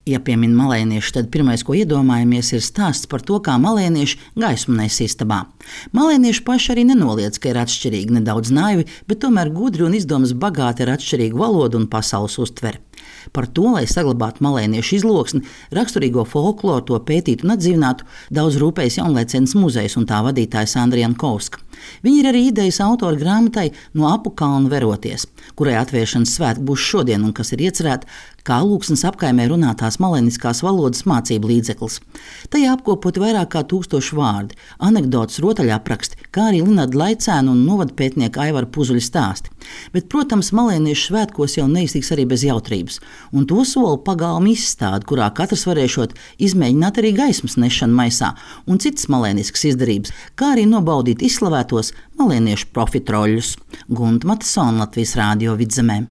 Ja piemin malēnieši, tad pirmais, ko iedomājamies, ir stāsts par to, kā malēnieši gaismu nes istabā. Malēnieši paši arī nenoliedz, ka ir atšķirīgi, nedaudz naivi, bet tomēr gudri un izdomas bagāti ar atšķirīgu valodu un pasaules uztveri. Par to, lai saglabātu malēniešu izloksni, raksturīgo folkloru, to pētītu un atdzīvinātu, daudz rūpējas Jaunlaicens muzejs un tā vadītājs Andrija Jankovska. Viņa ir arī idejas autora grāmatai No apu kalna veroties, kurai atvēršanas svētki būs šodien un kas ir iecerēta kā Lūksnes apkaimē runātās malēniskās valodas mācību līdzeklis. Tajā apkopoti vairāk kā 1000 vārdi, anekdotas, rotaļapraksti, kā arī Linarda Laicēna un novadpētnieka Aivara Puzuļa stāsti. Bet, protams, malēniešu svētkos jau neiztiks arī bez jautrības, un to sola pagalma izstāde, kurā katrs varēšot izmēģināt arī gaismas nešanu maisā un citas malēniskas izdarības, kā arī nobaudīt izslavētos malēniešu profitroļļus. Gunta Matisona, Latvijas Rādio Vidzemē.